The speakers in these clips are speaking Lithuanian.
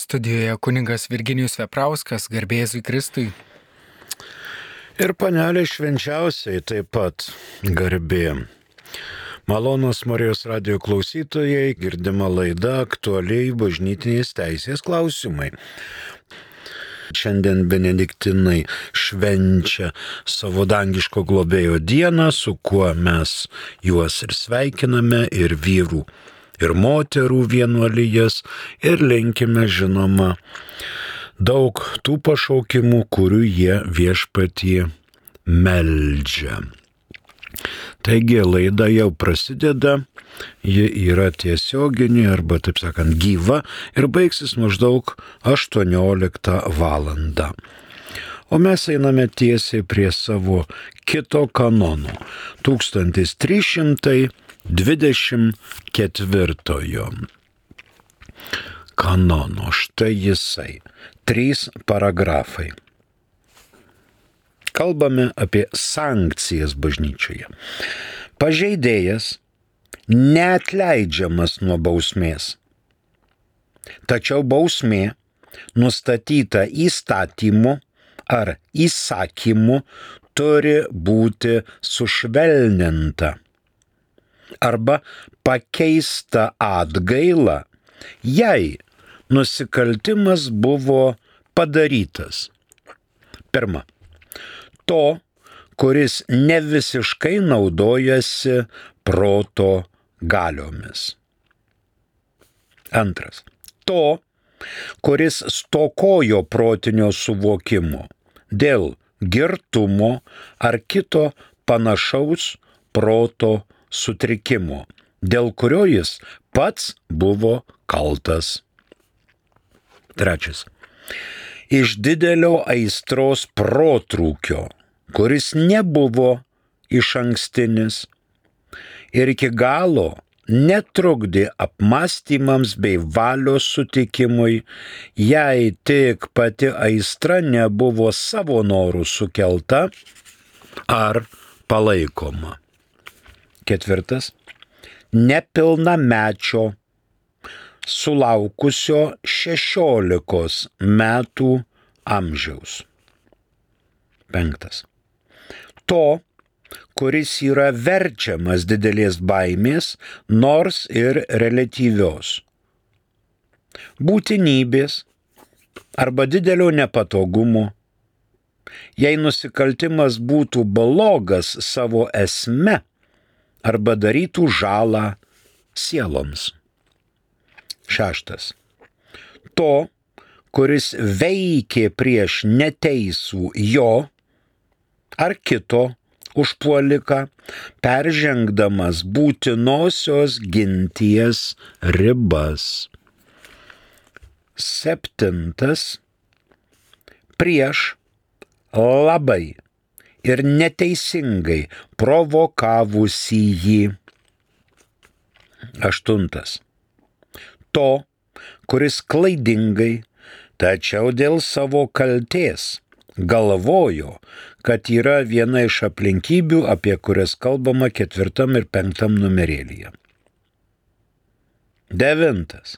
Studijoje kunigas Virginijus Veprauskas, garbė Jėzui Kristui. Ir panelė švenčiausiai taip pat garbė. Malonūs Marijos radijo klausytojai, girdima laida aktualiai bažnytinės teisės klausimai. Šiandien benediktinai švenčia savo dangiško globėjo dieną, su kuo mes juos ir sveikiname, ir vyrų, ir moterų vienuolijas, ir linkime, žinoma, daug tų pašaukimų, kurių jie viešpatie meldžia. Taigi laida jau prasideda, ji yra tiesioginė arba, taip sakant, gyva ir baigsis maždaug 18 valandą. O mes einame tiesiai prie savo kito kanono, 1324 kanono. Štai jisai, 3 paragrafai. Kalbame apie sankcijas bažnyčioje. Pažeidėjas neatleidžiamas nuo bausmės. Tačiau bausmė nustatyta įstatymu ar įsakymu turi būti sušvelninta arba pakeista atgaila, jei nusikaltimas buvo padarytas. Pirma, to, kuris ne visiškai naudojasi proto galiomis. Antras, to, kuris stokojo protinio suvokimo dėl girtumo ar kito panašaus proto sutrikimo, dėl kurio jis pats buvo kaltas. Trečias, iš didelio aistros protrūkio, kuris nebuvo išankstinis ir iki galo netrukdė apmąstymams bei valios sutikimui, jei tik pati aistra nebuvo savo norų sukelta ar palaikoma. Ketvirtas, nepilnamečio sulaukusio 16 metų amžiaus. Penktas, to, kuris yra verčiamas didelės baimės, nors ir reliatyvios būtinybės arba didelio nepatogumo, jei nusikaltimas būtų blogas savo esme arba darytų žalą sieloms. Šeštas, to, kuris veikė prieš neteisų jo ar kito užpuoliką, peržengdamas būtinosios ginties ribas. Septintas, prieš labai ir neteisingai provokavusį jį. Aštuntas, to, kuris klaidingai, tačiau dėl savo kaltės galvojo, kad yra viena iš aplinkybių, apie kurias kalbama 4 ir 5 numerėlyje. Devintas,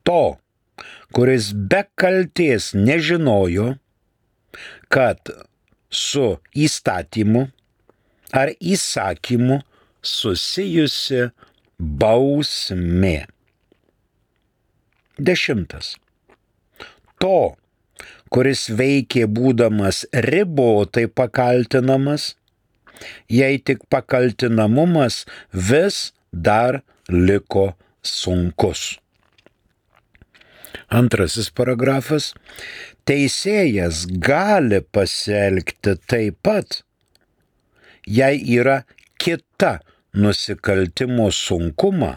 to, kuris be kaltės nežinojo, kad su įstatymu ar įsakymu susijusi bausmė. Dešimtas, to, kuris veikė būdamas ribotai pakaltinamas, jei tik pakaltinamumas vis dar liko sunkus. Antrasis paragrafas. Teisėjas gali pasielgti taip pat, jei yra kita nusikaltimo sunkumą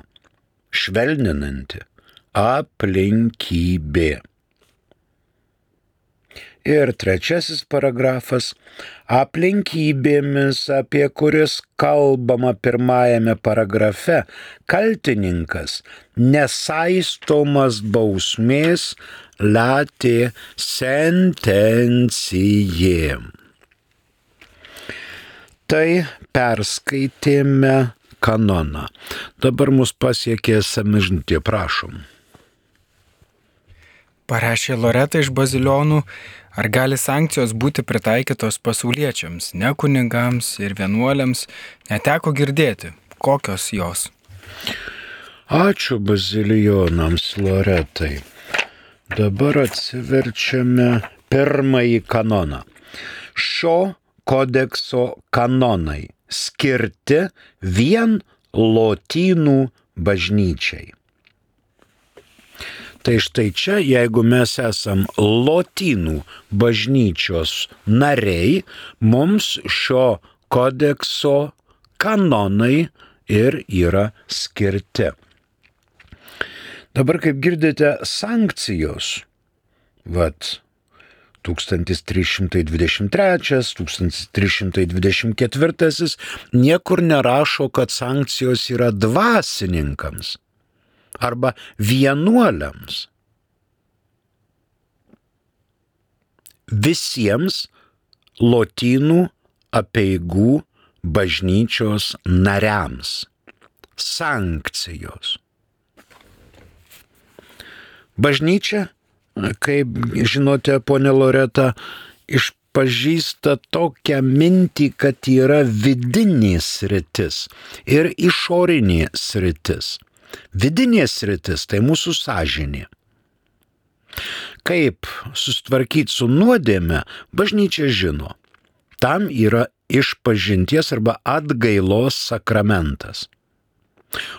švelninanti aplinkybė. Ir trečiasis paragrafas. Aplinkybėmis, apie kurias kalbama pirmajame paragrafe, kaltininkas nesaistomas bausmės latė sentencijė. Tai perskaitėme kanoną. Dabar mus pasiekė SMS žinutė, prašom. Parašė Loreta iš Bazilionų, ar gali sankcijos būti pritaikytos pasauliečiams, ne kunigams ir vienuoliams, neteko girdėti, kokios jos. Ačiū Bazilionams, Loretai. Dabar atsiverčiame pirmąjį kanoną. Šio kodekso kanonai skirti vien lotynų bažnyčiai. Tai štai čia, jeigu mes esam lotynų bažnyčios nariai, mums šio kodekso kanonai ir yra skirti. Dabar, kaip girdite, sankcijos, 1323, 1324 niekur nerašo, kad sankcijos yra dvasininkams arba vienuoliams. Visiems lotynų apeigų bažnyčios nariams. Sankcijos. Bažnyčia, kaip žinote, ponė Loreta, išpažįsta tokią mintį, kad yra vidinė sritis ir išorinė sritis. Vidinė sritis tai mūsų sąžinė. Kaip susitvarkyti su nuodėme, bažnyčia žino. Tam yra išpažinties arba atgailos sakramentas.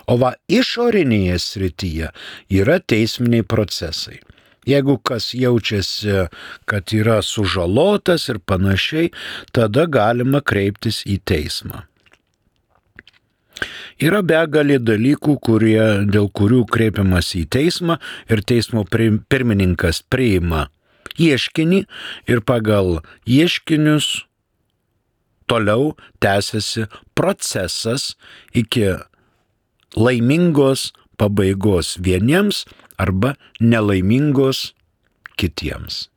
O išorinėje srityje yra teisminiai procesai. Jeigu kas jaučiasi, kad yra sužalotas ir panašiai, tada galima kreiptis į teismą. Yra begalė dalykų, dėl kurių kreipiamas į teismą ir teismo pirmininkas priima ieškinį ir pagal ieškinius toliau tęsiasi procesas iki laimingos pabaigos vieniems arba nelaimingos kitiems.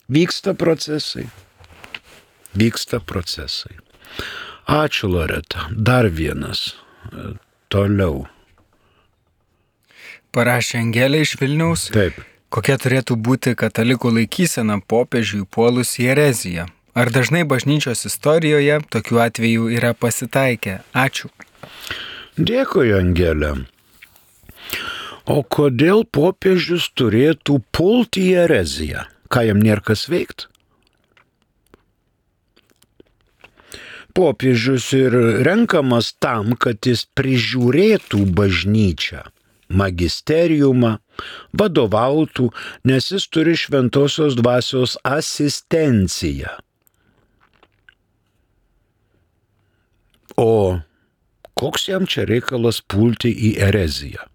Vyksta procesai. Ačiū, Loreta. Dar vienas. Toliau. Parašė Angelė iš Vilniaus. Taip. Kokia turėtų būti katalikų laikysena popiežiui puolus į ereziją? Ar dažnai bažnyčios istorijoje tokių atvejų yra pasitaikę? Ačiū. Dėkui, Angelė. O kodėl popiežius turėtų pulti į ereziją? Ką jam nėra kas veikti? Popiežius ir renkamas tam, kad jis prižiūrėtų bažnyčią, magisteriumą, vadovautų, nes jis turi šventosios dvasios asistenciją. O koks jam čia reikalas pulti į ereziją?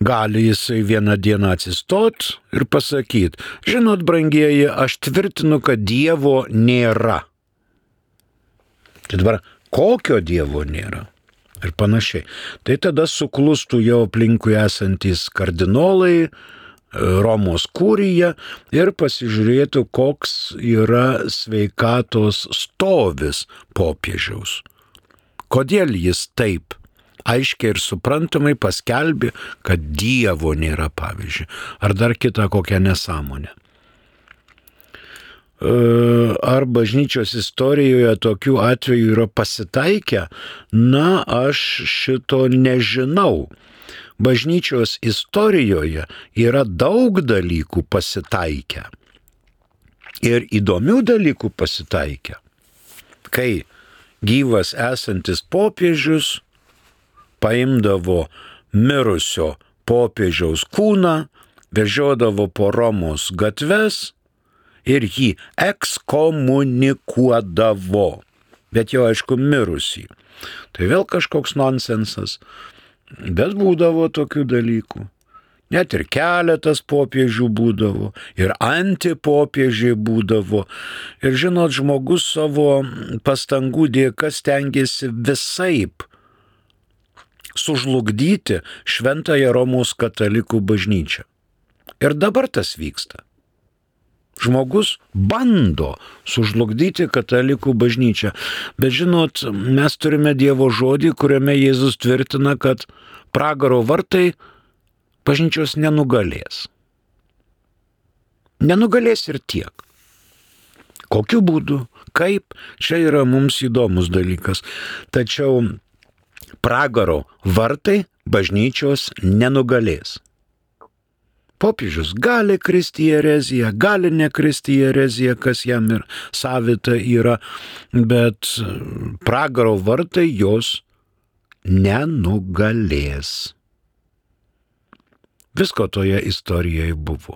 Gali jisai vieną dieną atsistot ir pasakyti, žinot, brangieji, aš tvirtinu, kad Dievo nėra. Tai dabar, kokio Dievo nėra? Ir panašiai. Tai tada suklustų jau aplinkui esantys kardinolai, Romos kurija ir pasižiūrėtų, koks yra sveikatos stovis popiežiaus. Kodėl jis taip aiškiai ir suprantamai paskelbė, kad Dievo nėra, pavyzdžiui, ar dar kita kokia nesąmonė. Ar bažnyčios istorijoje tokių atvejų yra pasitaikę? Na, aš šito nežinau. Bažnyčios istorijoje yra daug dalykų pasitaikę. Ir įdomių dalykų pasitaikę. Kai gyvas esantis popiežius paimdavo mirusio popiežiaus kūną, vežiodavo po Romos gatves ir jį ekskomunikuodavo, bet jau aišku mirusį. Tai vėl kažkoks nonsensas, bet būdavo tokių dalykų. Net ir keletas popiežių būdavo, ir antipopiežiai būdavo. Ir žinot, žmogus savo pastangų dėka stengiasi visaip sužlugdyti šventąją Romos katalikų bažnyčią. Ir dabar tas vyksta. Žmogus bando sužlugdyti katalikų bažnyčią. Bet žinot, mes turime Dievo žodį, kuriame Jėzus tvirtina, kad pragaro vartai bažnyčios nenugalės. Nenugalės ir tiek. Kokiu būdu, kaip, čia yra mums įdomus dalykas. Tačiau pragaro vartai bažnyčios nenugalės. Popiežius gali kristi į ereziją, gali nekristi į ereziją, kas jam ir savita yra, bet pragaro vartai jos nenugalės. Visko toje istorijoje buvo.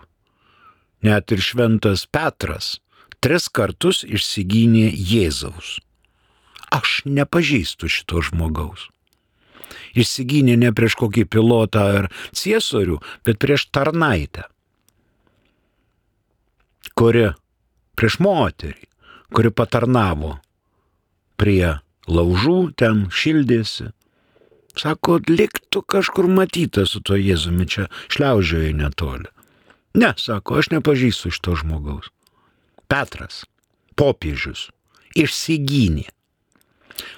Net ir šventas Petras 3 kartus išsigynė Jėzaus. Aš nepažįstu šito žmogaus. Išsigynė ne prieš kokį pilotą ar ciesorių, bet prieš tarnaitę, prieš moterį, kuri patarnavo prie laužų, ten šildėsi. Sako, liktų kažkur matyta su to Jėzumi, čia šliaužioje netoli. Ne, sako, aš nepažįstu šito žmogaus. Petras, popiežius, išsigynė.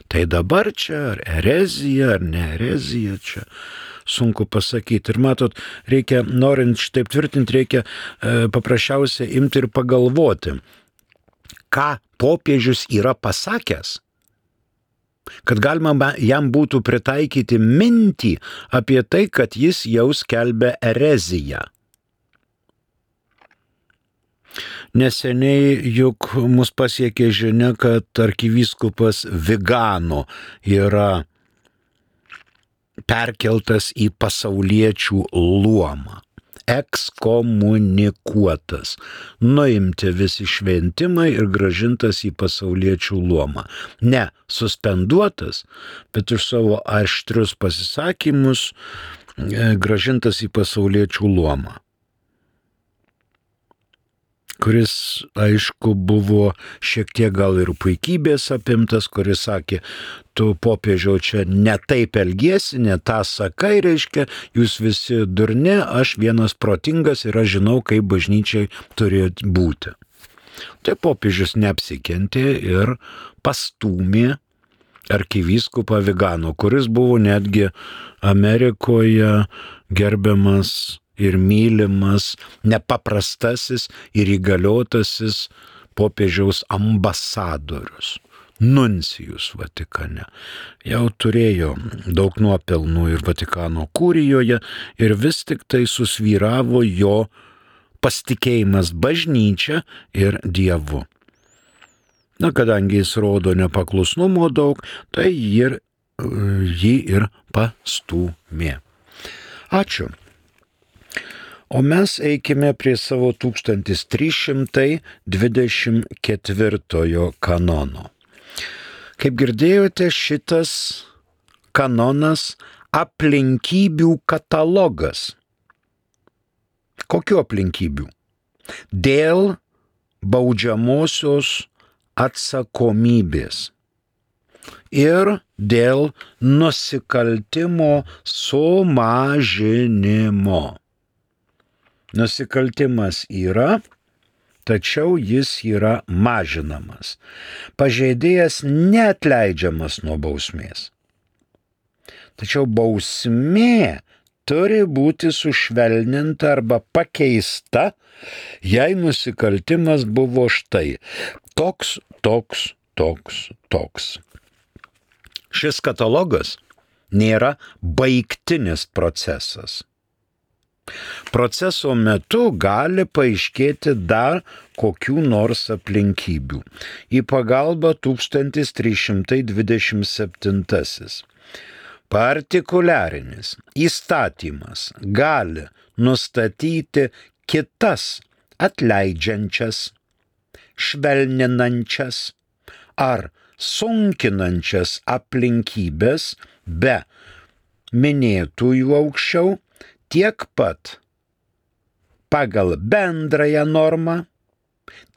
Tai dabar čia ar erezija, ar ne erezija, čia sunku pasakyti. Ir matot, reikia, norint šitaip tvirtinti, reikia paprasčiausiai imti ir pagalvoti, ką popiežius yra pasakęs, kad galima jam būtų pritaikyti mintį apie tai, kad jis jau skelbia ereziją. Neseniai juk mus pasiekė žinia, kad arkivyskupas Vigano yra perkeltas į pasauliečių luomą, ekskomunikuotas, nuimti visi šventimai ir grąžintas į pasauliečių luomą. Ne suspenduotas, bet už savo aštrius pasisakymus grąžintas į pasauliečių luomą, kuris, aišku, buvo šiek tiek gal ir puikybės apimtas, kuris sakė, tu popiežiau čia ne taip elgiesi, ne tą sakai, reiškia, jūs visi durni, aš vienas protingas ir aš žinau, kaip bažnyčiai turėjo būti. Tai popiežius neapsikentė ir pastūmė arkivyskupą Vigano, kuris buvo netgi Amerikoje gerbiamas ir mylimas, nepaprastasis ir įgaliotasis popiežiaus ambasadorius, nuncijus Vatikane. Jau turėjo daug nuopelnų ir Vatikano kurijoje ir vis tik tai susvyravo jo pasitikėjimas bažnyčia ir Dievu. Na, kadangi jis rodo nepaklusnumo daug, tai jį ir pastūmė. Ačiū. O mes eikime prie savo 1324 kanono. Kaip girdėjote, šitas kanonas aplinkybių katalogas. Kokių aplinkybių? Dėl baudžiamosios atsakomybės ir dėl nusikaltimo sumažinimo. Nusikaltimas yra, tačiau jis yra mažinamas. Pažeidėjas neatleidžiamas nuo bausmės. Tačiau bausmė turi būti sušvelninta arba pakeista, jei nusikaltimas buvo štai toks. Šis katalogas nėra baigtinis procesas. Proceso metu gali paaiškėti dar kokių nors aplinkybių. Į pagalbą 1327. Partikuliarinis įstatymas gali nustatyti kitas atleidžiančias, švelninančias ar sunkinančias aplinkybės be minėtųjų aukščiau, tiek pat pagal bendrąją normą,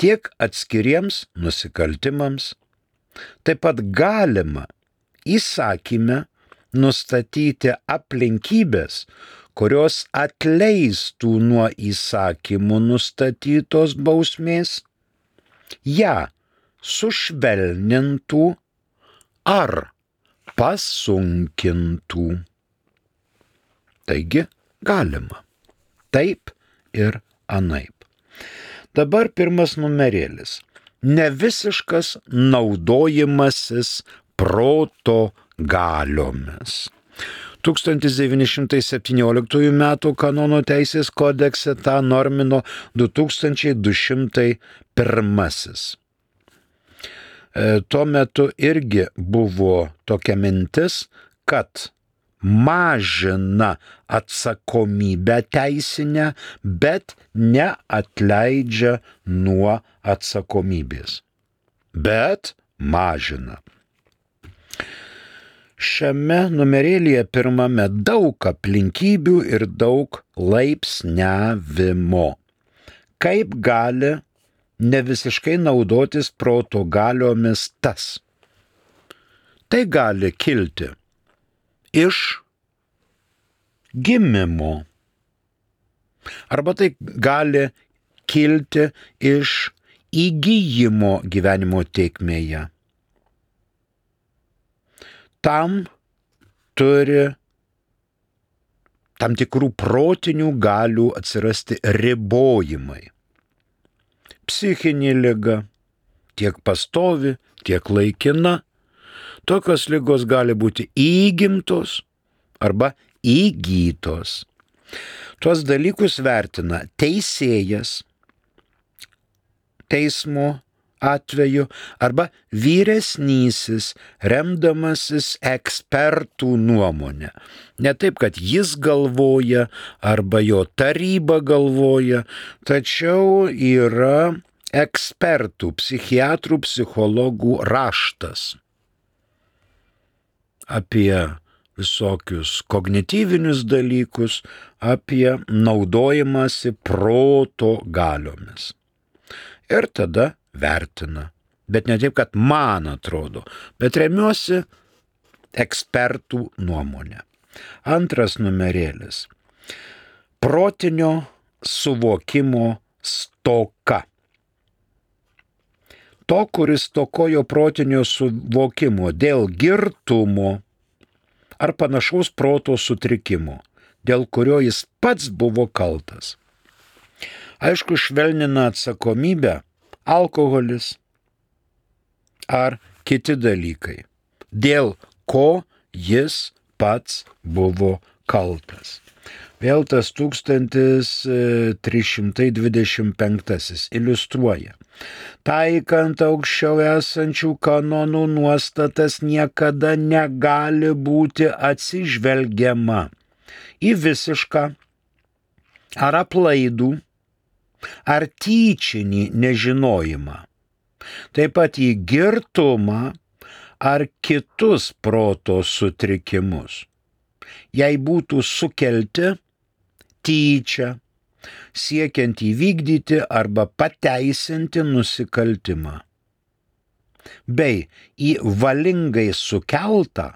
tiek atskiriems nusikaltimams. Taip pat galima įsakyme nustatyti aplinkybės, kurios atleistų nuo įsakymų nustatytos bausmės, ją sušvelnintų ar pasunkintų. Taigi, galima. Taip ir anaip. Dabar pirmas numerėlis. Nevisiškas naudojimasis proto galiomis. 1917 m. kanono teisės kodekse tą normino 2201. Tuo metu irgi buvo tokia mintis, kad mažina atsakomybę teisinę, bet neatleidžia nuo atsakomybės. Bet mažina. Šiame numerėlyje pirmame daug aplinkybių ir daug laipsniavimo. Kaip gali nevisiškai naudotis proto galiomis tas? Tai gali kilti iš gimimo. Arba tai gali kilti iš įgyjimo gyvenimo tėkmėje. Tam turi tam tikrų protinių galių atsirasti ribojimai. Psichinė liga, tiek pastovi, tiek laikina. Tokios ligos gali būti įgimtos arba įgytos. Tuos dalykus vertina teisėjas teismo atveju arba vyresnysis, remdamasis ekspertų nuomonę. Ne taip, kad jis galvoja arba jo taryba galvoja, tačiau yra ekspertų, psichiatrų, psichologų raštas apie visokius kognityvinius dalykus, apie naudojimąsi proto galiomis. Ir tada vertina. Bet ne taip, kad man atrodo, bet remiuosi ekspertų nuomonę. Antras numerėlis. Protinio suvokimo stoka. To, kuris stokojo protinio suvokimo dėl girtumo ar panašaus proto sutrikimo, dėl kurio jis pats buvo kaltas. Aišku, švelnina atsakomybę alkoholis ar kiti dalykai, dėl ko jis pats buvo kaltas. Vėl tas 1325 iliustruoja. Taikant aukščiau esančių kanonų nuostatas niekada negali būti atsižvelgiama į visišką ar aplaidų ar tyčinį nežinojimą, taip pat į girtumą ar kitus proto sutrikimus. Jei būtų sukelti tyčia, siekiant įvykdyti arba pateisinti nusikaltimą, bei į valingai sukeltą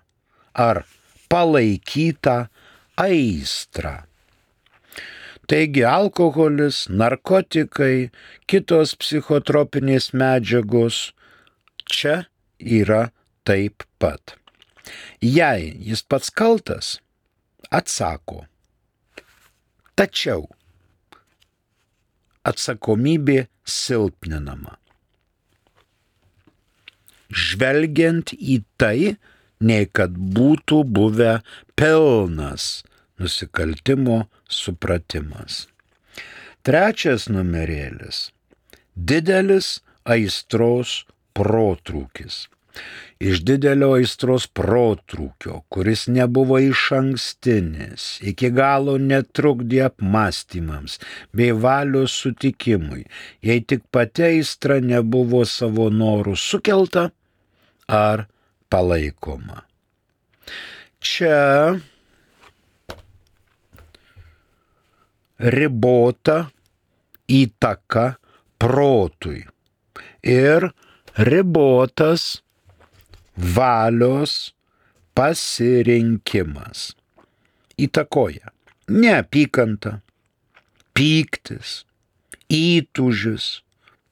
ar palaikytą aistrą. Taigi alkoholis, narkotikai, kitos psichotropinės medžiagos čia yra taip pat. Jei jis pats kaltas, atsako. Tačiau atsakomybė silpninama. Žvelgiant į tai, nei kad būtų buvę pilnas nusikaltimo supratimas. Trečias numerėlis. Didelis aistros protrūkis. Iš didelio aistros protrūkio, kuris nebuvo išankstinis, iki galo netrukdė apmąstymams bei valios sutikimui, jei tik pati aistra nebuvo savo norų sukelta ar palaikoma. Čia ribota įtaka protui ir ribotas valios pasirinkimas. Įtakoja neapykanta, pyktis, įtūžis,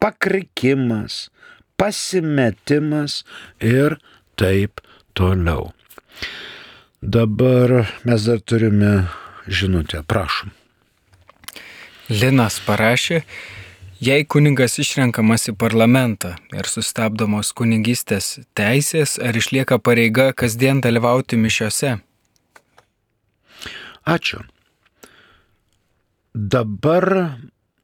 pakrikimas, pasimetimas ir taip toliau. Dabar mes dar turime žinutę, prašom. Linas parašė, Jei kunigas išrenkamas į parlamentą ir sustabdomos kunigystės teisės, ar išlieka pareiga kasdien dalyvauti mišiose? Ačiū. Dabar,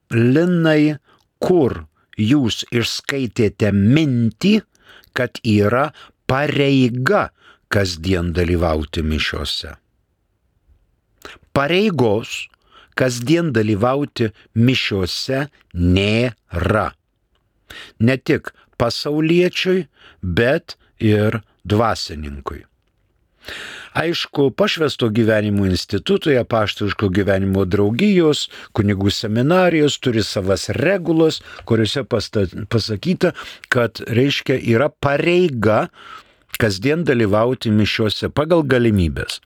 Linai, kur jūs išskaitėte mintį, kad yra pareiga kasdien dalyvauti mišiose? Pareigos kasdien dalyvauti mišiose nėra. Ne tik pasauliečiui, bet ir dvasininkui. Aišku, Pašvęsto gyvenimo institutui, Apaštališko gyvenimo draugijos, kunigų seminarijos turi savas regulas, kuriuose pasakyta, kad reiškia yra pareiga kasdien dalyvauti mišiuose pagal galimybės.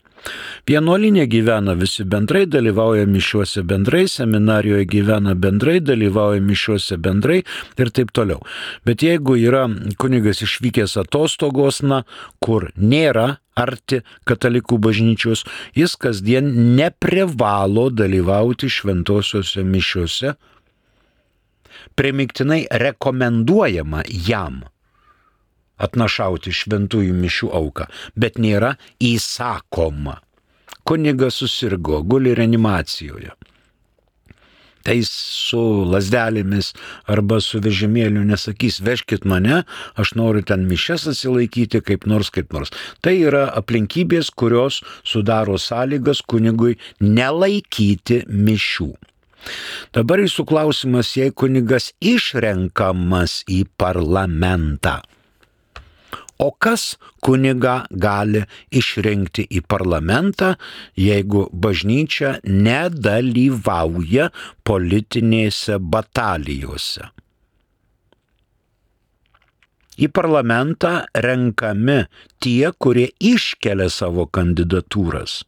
Vienuolinė gyvena visi bendrai, dalyvauja mišiuose bendrai, seminarijoje gyvena bendrai, dalyvauja mišiuose bendrai ir taip toliau. Bet jeigu yra kunigas išvykęs atostogos, kur nėra arti katalikų bažnyčios, jis kasdien neprivalo dalyvauti šventosiuose mišiuose. Primygtinai rekomenduojama jam atnašauti šventųjų mišių auką, bet nėra įsakoma. Kunigas susirgo, guli reanimacijoje. Tai su lasdelėmis arba su vežimėliu nesakys, vežkit mane, aš noriu ten mišias atsilaikyti kaip nors. Tai yra aplinkybės, kurios sudaro sąlygas kunigui nelaikyti mišių. Dabar jūsų klausimas, jei kunigas išrenkamas į parlamentą. O kas kunigą gali išrinkti į parlamentą, jeigu bažnyčia nedalyvauja politinėse batalijose? Į parlamentą renkami tie, kurie iškelia savo kandidatūras.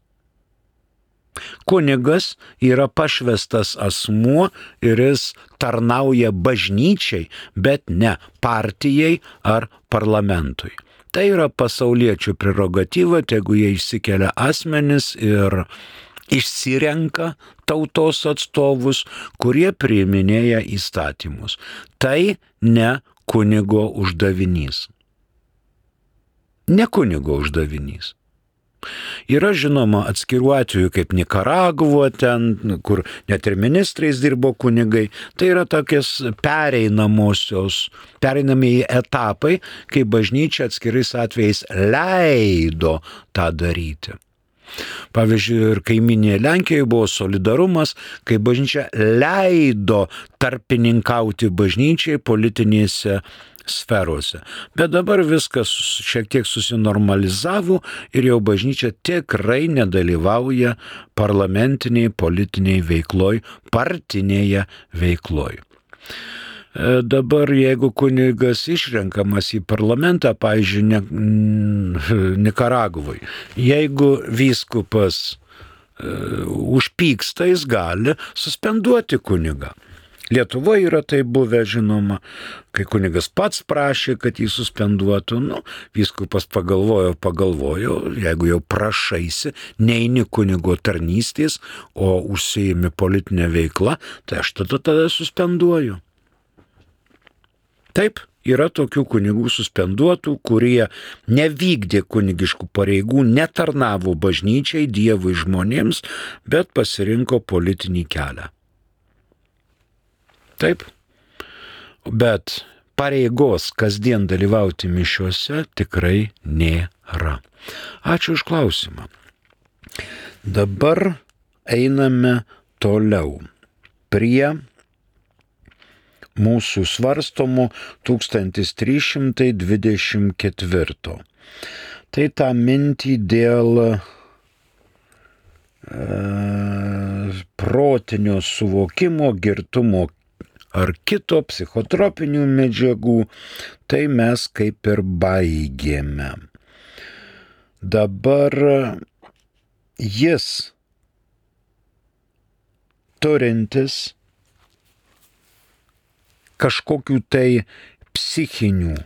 Kunigas yra pašvęstas asmuo ir jis tarnauja bažnyčiai, bet ne partijai ar parlamentui. Tai yra pasauliečių prerogatyva, tegu jie išsikelia asmenis ir išsirenka tautos atstovus, kurie priiminėja įstatymus. Tai ne kunigo uždavinys. Ne kunigo uždavinys. Yra žinoma atskirų atvejų kaip Nikaragva, ten, kur net ir ministrais dirbo kunigai. Tai yra tokias pereinamieji etapai, kai bažnyčia atskirais atvejais leido tą daryti. Pavyzdžiui, ir kaiminėje Lenkijoje buvo solidarumas, kai bažnyčia leido tarpininkauti bažnyčiai politinėse sferose. Bet dabar viskas šiek tiek susinormalizavo ir jau bažnyčia tikrai nedalyvauja parlamentiniai politiniai veikloj, partinėje veikloj. Dabar jeigu kunigas išrenkamas į parlamentą, pavyzdžiui, Nikaragvai, jeigu vyskupas užpyksta, jis gali suspenduoti kunigą. Lietuvoje yra tai buvę, žinoma, kai kunigas pats prašė, kad jį suspenduotų, vyskupas pagalvojo, jeigu jau prašaisi, neini kunigo tarnystės, o užsiimi politinę veiklą, tai aš tada suspenduoju. Taip, yra tokių kunigų suspenduotų, kurie nevykdė kunigiškų pareigų, netarnavo bažnyčiai, Dievui, žmonėms, bet pasirinko politinį kelią. Taip, bet pareigos kasdien dalyvauti mišiuose tikrai nėra. Ačiū už klausimą. Dabar einame toliau prie mūsų svarstomų 1324. Tai tą mintį dėl protinio suvokimo, girtumo ar kito psichotropinių medžiagų, tai mes kaip ir baigėme. Dabar jis turintis kažkokių tai psichinių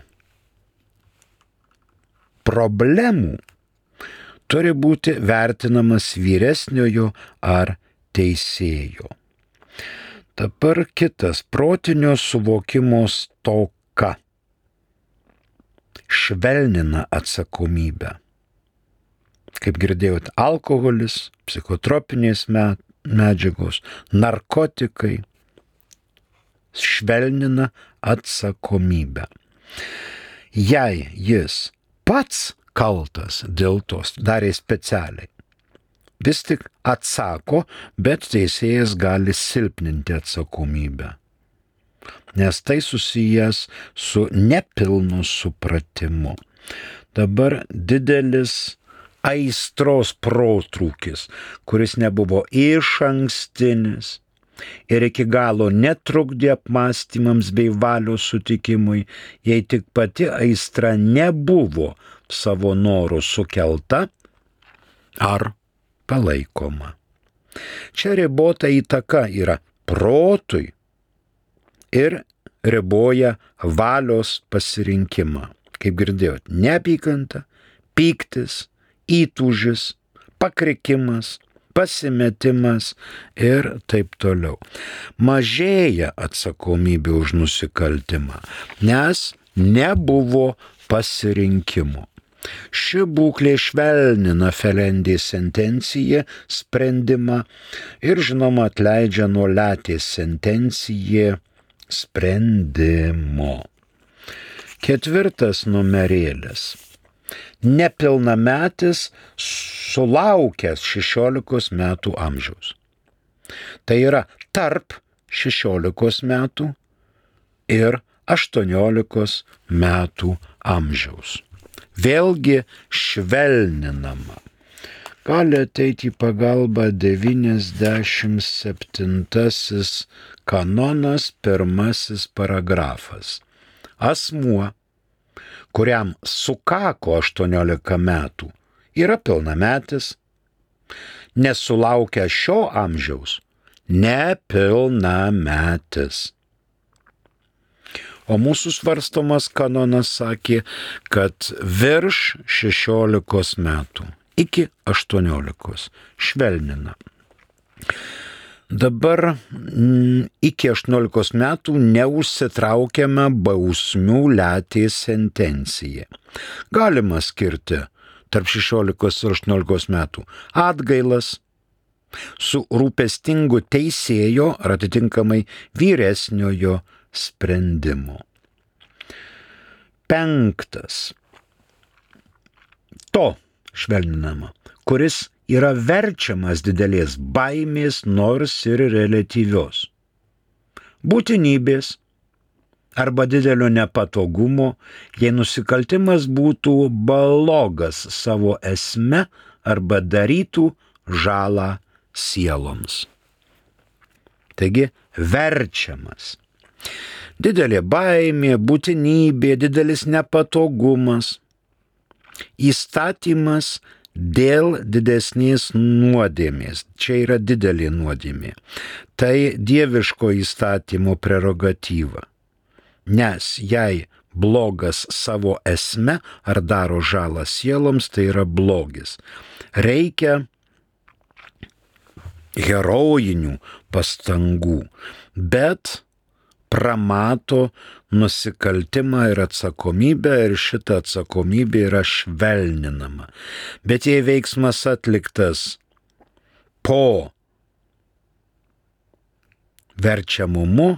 problemų turi būti vertinamas vyresniojo ar teisėjo. Dabar kitas protinio suvokimo stoka švelnina atsakomybę. Kaip girdėjot, alkoholis, psichotropinės medžiagos, narkotikai švelnina atsakomybę. Jei jis pats kaltas dėl tos, darė specialiai, vis tik atsako, bet teisėjas gali silpninti atsakomybę, nes tai susijęs su nepilnu supratimu. Dabar didelis aistros protrūkis, kuris nebuvo išankstinis ir iki galo netrukdė apmąstymams bei valios sutikimui, jei tik pati aistra nebuvo savo norų sukelta ar palaikoma. Čia ribota įtaka yra protui ir riboja valios pasirinkimą. Kaip girdėjot, neapykanta, pyktis, įtūžis, pakrikimas, pasimetimas ir taip toliau. Mažėja atsakomybė už nusikaltimą, nes nebuvo pasirinkimo. Ši būklė švelnina Ferendės sentenciją sprendimą ir žinoma atleidžia nuo Letės sentenciją sprendimo. Ketvirtas numerėlis. Nepilnametis sulaukęs 16 metų amžiaus. Tai yra tarp 16 metų ir 18 metų amžiaus. Vėlgi švelninama. Gali ateiti į pagalbą 97 kanonas, 1 paragrafas. Asmuo, kuriam sukako 18 metų, yra pilnametis, nesulaukia šio amžiaus, nepilnametis. O mūsų svarstomas kanonas sakė, kad virš 16 metų iki 18 švelnina. Dabar iki 18 metų neužsitraukiame bausmių Letės sentencija. Galima skirti tarp 16 ir 18 metų atgailas su rūpestingu teisėjo ar atitinkamai vyresniojo sprendimu. 5. To švelninama, kuris yra verčiamas didelės baimės, nors ir reliatyvios, būtinybės arba didelio nepatogumo, jei nusikaltimas būtų blogas savo esme arba darytų žalą sieloms. Taigi verčiamas. Didelė baimė, būtinybė, didelis nepatogumas, įstatymas dėl didesnės nuodėmės. Čia yra didelė nuodėmė. Tai dieviško įstatymo prerogatyva. Nes jei blogas savo esme ar daro žalą sieloms, tai yra blogis. Reikia herojinių pastangų, bet pramato nusikaltimą ir atsakomybę ir šita atsakomybė yra švelninama. Bet jei veiksmas atliktas po verčiamumu,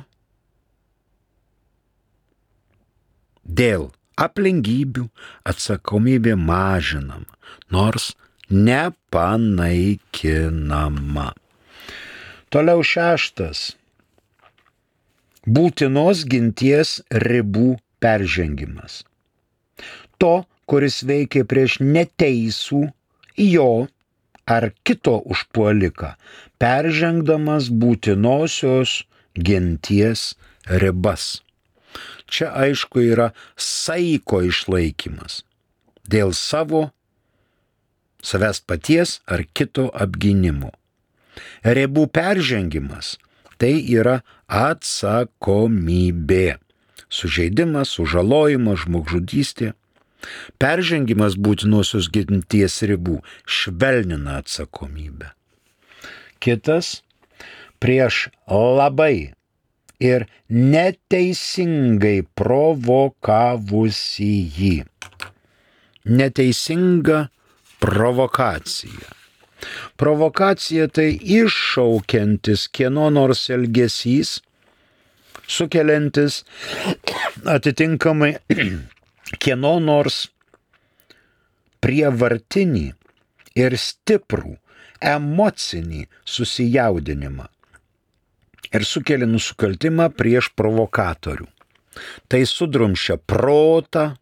dėl aplinkybių atsakomybė mažinama, nors nepanaikinama. Toliau 6. Būtinos ginties ribų peržengimas. To, kuris veikia prieš neteisų jo ar kito užpuoliką, peržengdamas būtinosios ginties ribas. Čia aišku yra saiko išlaikymas dėl savęs paties ar kito apgynimo. Ribų peržengimas tai yra atsakomybė. Sužeidimas, sužalojimas, žmogžudystė. Peržengimas būtinosios ginties ribų švelnina atsakomybę. Kitas prieš labai ir neteisingai provokavusį jį. Neteisinga provokacija. Provokacija tai iššaukiantis kieno nors elgesys, sukeliantis atitinkamai kieno nors prievartinį ir stiprų emocinį susijaudinimą ir sukelia nusikaltimą prieš provokatorių. Tai sudrumsčia protą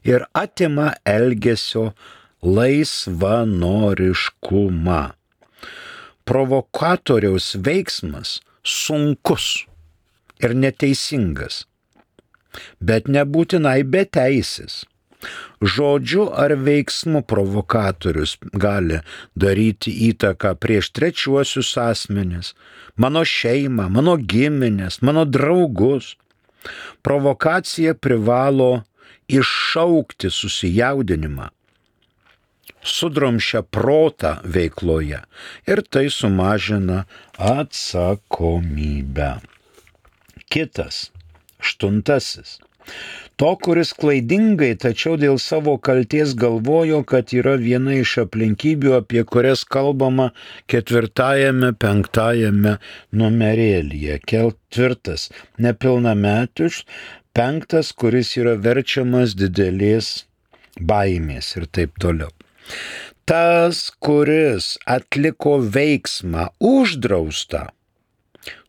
ir atima elgesio laisvanoriškumą. Provokatoriaus veiksmas sunkus ir neteisingas, bet nebūtinai beteisis. Žodžiu ar veiksmu provokatorius gali daryti įtaką prieš trečiuosius asmenis, mano šeimą, mano giminės, mano draugus. Provokacija privalo iššaukti susijaudinimą, sudrumsčia protą veikloje ir tai sumažina atsakomybę. Kitas, 8. To, kuris klaidingai, tačiau dėl savo kalties galvojo, kad yra viena iš aplinkybių, apie kurias kalbama 4-5 numerėlyje. 4. Nepilnametis, 5. kuris yra verčiamas didelės baimės ir taip toliau. Tas, kuris atliko veiksmą uždraustą,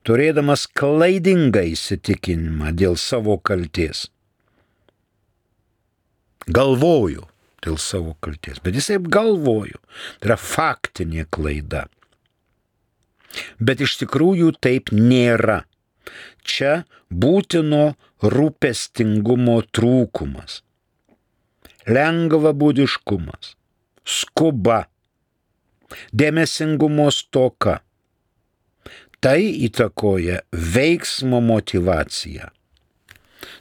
turėdamas klaidingą įsitikinimą dėl savo kalties. Galvoju dėl savo kalties, bet jis taip galvoju. Tai yra faktinė klaida. Bet iš tikrųjų taip nėra. Čia būtino rūpestingumo trūkumas, lengvabūdiškumas, skuba, dėmesingumo stoka. Tai įtakoja veiksmo motyvaciją.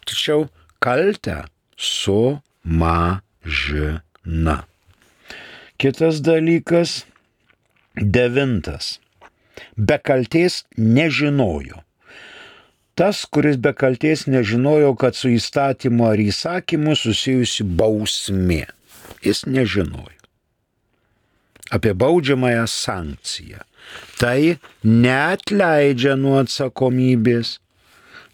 Tačiau kaltę sumažina. Kitas dalykas, 9. Be kaltės nežinojo. Tas, kuris be kaltės nežinojo, kad su įstatymu ar įsakymu susijusi bausmė. Jis nežinojo apie baudžiamąją sankciją. Tai neatleidžia nuo atsakomybės,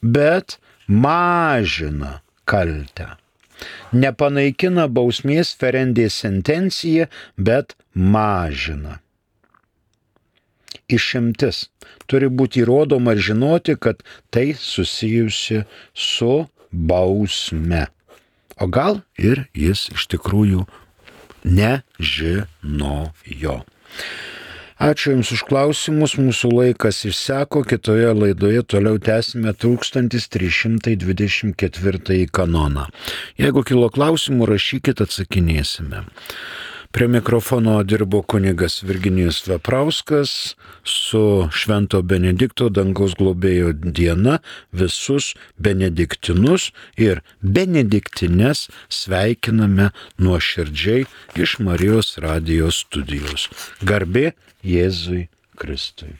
bet mažina kaltę. Nepanaikina bausmės ferendė sentencija, bet mažina. Išimtis. Turi būti įrodoma ir žinoti, kad tai susijusi su bausme. O gal ir jis iš tikrųjų nežinojo. Ačiū Jums už klausimus, mūsų laikas išseko, kitoje laidoje toliau tęsime 1324 kanoną. Jeigu kilo klausimų, rašykit, atsakinėsime. Prie mikrofono dirbo kunigas Virginijus Veprauskas, su Švento Benedikto dangaus globėjo diena visus benediktinus ir benediktines sveikiname nuoširdžiai iš Marijos radijos studijos. Garbė Jėzui Kristui.